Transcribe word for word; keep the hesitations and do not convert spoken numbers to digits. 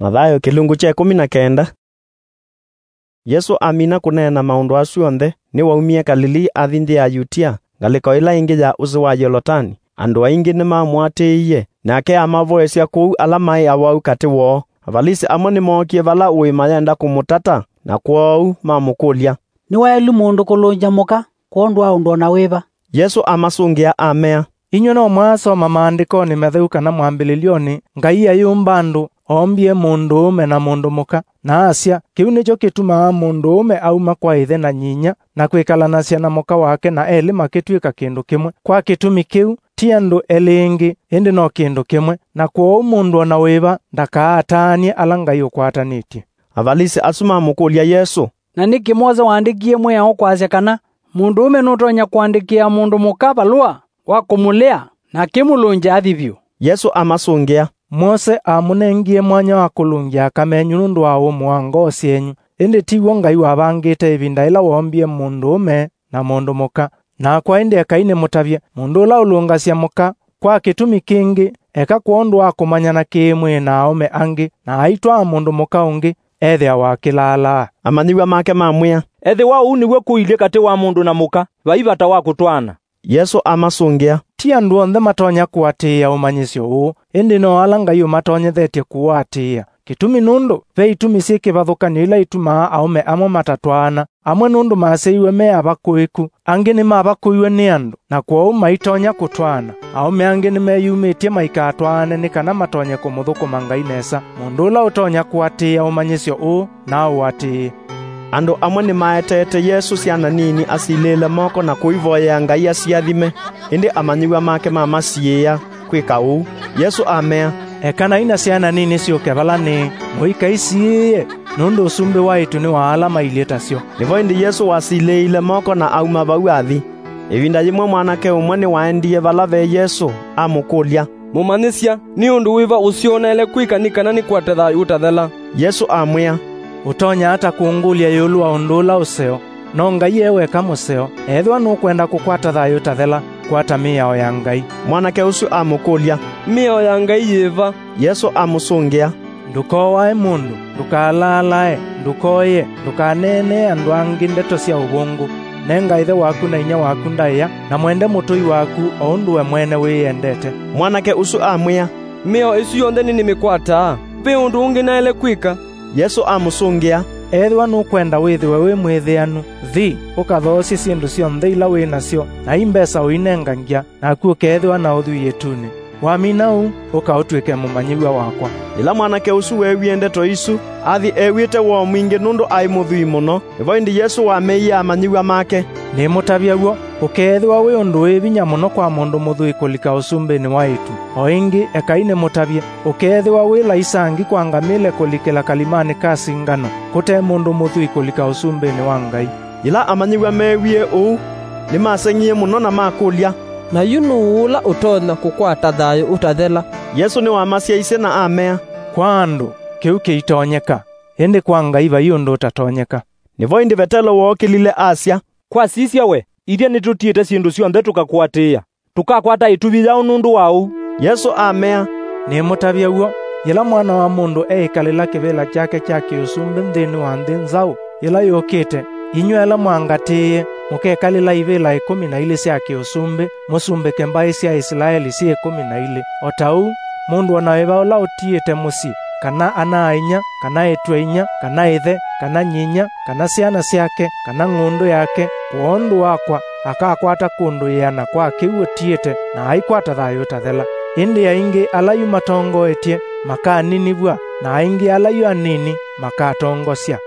Mathayo kĩlungu kya ĩkũmi na kenda. Yesũ amina kũneena maũndũ asu onthe, nĩwaumie Kalilii athi nthĩ ya Yutia, ngalĩko ĩla ĩngĩ ya ũsĩ wa Yolotani. Andũ aingĩ nĩmamũatĩĩie, nake amavoesya kũu ala maĩ awau katĩ woo. Avalisi amwe nĩmookie vala ũĩ mayenda kũmũtata, na kwoou mamũkũlya, "Nĩ waĩlu mũndũ kũlũngya mũka kwondũ wa ũndũ o na wĩva?" Yesũ amasũngĩa amea, "Inyw'ĩ no mwaasoma Maandĩkonĩ Matheu kana mwambĩlĩlyonĩ, Ngai ayũmba andũ, oombie mũndũũme na mũndũ mũka, na asya, 'Kĩu nĩkyo kĩtumaa mũndũũme auma kwa ĩthe na nyinyia, na kwĩkalanasya na mũka wake, na elĩ makĩtw'ĩka kĩndũ kĩmwe.' Kwa kĩtumi kĩu, ti andũ elĩ ĩngĩ, ĩndĩ no kĩndũ kĩmwe. Na kwoou mũndũ o na wĩva ndakaataanĩe ala Ngai ũkwatanĩtye." Avalisi asu mamũkũlya Yesũ, "Na nĩkĩ Mose waandĩkie mwĩao kwasya kana mũndũũme nũtonya kũandĩkĩa mũndũ mũka valũa wa kũmũlea na akĩmũlũngya athi vyũ?" Yesũ amasũngĩa, "Mose amũnengie mwanya wa kũlũngya aka menyu nũndũ wa ũmũ wa ngoo syenyu, ĩndĩ ti w'o Ngai wavangĩte ĩvinda yĩla woombie mũndũũme na mũndũ mũka. Nakwa ĩndĩ ekai nĩmũtavye, mũndũ ũla ũlũngasya mũka kwa kĩtumi kĩngĩ, eka kwondũ wa kũmanyana kĩ-mwĩĩ na aũme angĩ, na aitwaa mũndũ mũka ũngĩ, ethĩawa akĩlaalaa." Amanyĩw'a make mamwĩa, "Ethĩwa ũu nĩw'o kũilyĩ katĩ wa mũndũ na mũka, vai vata wa kũtwaana." Yesũ amasũngĩa, "Ti andũ onthe matonya kũatĩĩa ũmanyĩsyo ũũ, ĩndĩ no ala Ngai ũmatonyethetye kũũatĩĩa. Kĩtumi nũndũ ve itumi syĩ kĩvathũkany'o ila itumaa aũme amwe matatwaana. Amwe nũndũ masyaiwe me avakũĩku, angĩ nĩmavakũiwe nĩ andũ, na kwoou maitonya kũtwaana. Aũme angĩ nĩmeyumĩtye maikatwaane nĩ kana matonye kũmũthũkũma Ngai nesa. Mũndũ ũla ũtonya kũatĩĩa ũmanyĩsyo ũũ, na aũatĩĩe." Andũ amwe nĩmaeteete Yesũ syana nini asilĩĩle moko na kũivoyea Ngai asiathime, ĩndĩ amanyĩw'a make mamasiĩĩa kwĩka ũu. Yesũ amea, "Ekanai na syana nini syũke vala nĩĩ, mũikaisiĩĩe, nũndũ ũsumbĩ wa ĩtu nĩ wa ala mailyĩ tasyo." Nĩvo ĩndĩ Yesũ wasilĩĩile moko na auma vau athi. Ĩvinda yĩmwe mwanake ũmwe nĩwaendie vala ve Yesũ, amũkũlya, "Mũmanyĩsya, nĩ ũndũ wĩva ũsyoneele kwĩka nĩ kana nĩkwate thayũ ũtathela?" Yesũ amwĩa, "Ũtonya ata kũngũlya ĩũlũ wa ũndũ ũla ũseo? No Ngai e weka mũseo. Ethĩwa nũkwenda kũkwata thayũ ũtathela, kwata mĩao ya Ngai." Mwanake ũsu amũkũlya, "Mĩao ya Ngai yĩva?" Yesũ amũsũngĩa, "Ndũkooae mũndũ, ndũkalaalae, ndũkoye, ndũkaneenee andũ angĩ ndeto sya ũvũngũ, nenga ĩthe waku na inyia waku ndaĩa, na mwende mũtũi waku o ũndũ we mwene wĩyendete." Mwanake ũsu amwĩa, "Mĩao ĩsu yonthe nĩnĩmĩkwataa. Ve ũndũ ũngĩ naĩle kwĩka?" Yesũ amũsũngĩa, "Ethĩwa nũkwenda wĩthĩwe wĩ mwĩthĩanu, thi, ũkathoosye syĩndũ syonthe ila wĩ nasyo, na i mbesa ũinengangya, naku ũkeethĩwa na ũthwii ĩtunĩ. Wamina ũu, ũka ũtw'ĩke mũmanyĩw'a wakwa." Yĩla mwanake ũsu weewie ndeto isu, athi ew'ĩte woo mwingĩ nũndũ aĩ mũthwii mũno. Nĩvo ĩndĩ Yesũ wameie amanyĩw'a make, "Nĩmũtavya w'o, ũkeethĩwa wĩ ũndũ wĩ vinya mũno kwa mũndũ mũthwii kũlika ũsumbĩnĩ wa ĩtu. O ĩngĩ, ekai nĩmũtavye, ũkeethĩwa wĩ laisi ngi kwa ngamĩle kũlikĩla kalimanĩ ka singano, kũte mũndũ mũthwii kũlika ũsumbĩnĩ wa Ngai." Yĩla amanyĩw'a meewie ũu, nĩmaseng'ie mũno na makũlya, "Na yu nũũ ũla ũtonya kũkwata thayũ ũtathela?" Yesũ nĩwamasyaisye na amea, "Kwa andũ, kĩu kĩitonyeka, ĩndĩ kwa Ngai vai ũndũ ũtatonyeka." Nĩvo ĩndĩ Vetelo wookĩlile asya, "Kwa sisya we, ithyĩ nĩtũtiĩte syĩndũ syonthe tũkakũatĩĩa. Tũkakwata ĩtuvi yaũ nũndũ wa ũu?" Yesũ amea, "Nĩmũtavya w'o, yĩla Mwana wa Mũndũ eĩkalĩla kĩvĩla kyake kya kĩũsumbĩ nthĩnĩ wa nthĩ nzaũ yĩla yũkĩte, inyw'ĩ ala mwangatĩĩe mũkekalĩla ivĩla ĩkũmi na ilĩ sya kĩũsumbĩ, mũsumbĩke mbaĩ sya Isilaeli syĩ ĩkũmi na ilĩ. O ta ũu, mũndũ o na wĩva ũla ũtiĩte mũsyĩ, kana ana-a-inyia, kana ĩtu-a-inyia, kana ĩthe, kana nyinyia, kana syana syake, kana ng'ũndũ yake, kwondũ wakwa, akakwata kũndũ ĩana kwa kĩu ũtiĩte, na aikwata thayũ ũtathela. Ĩndĩ aingĩ ala yu matongoetye makaninĩvw'a, na aingĩ ala yu anini makatongosya."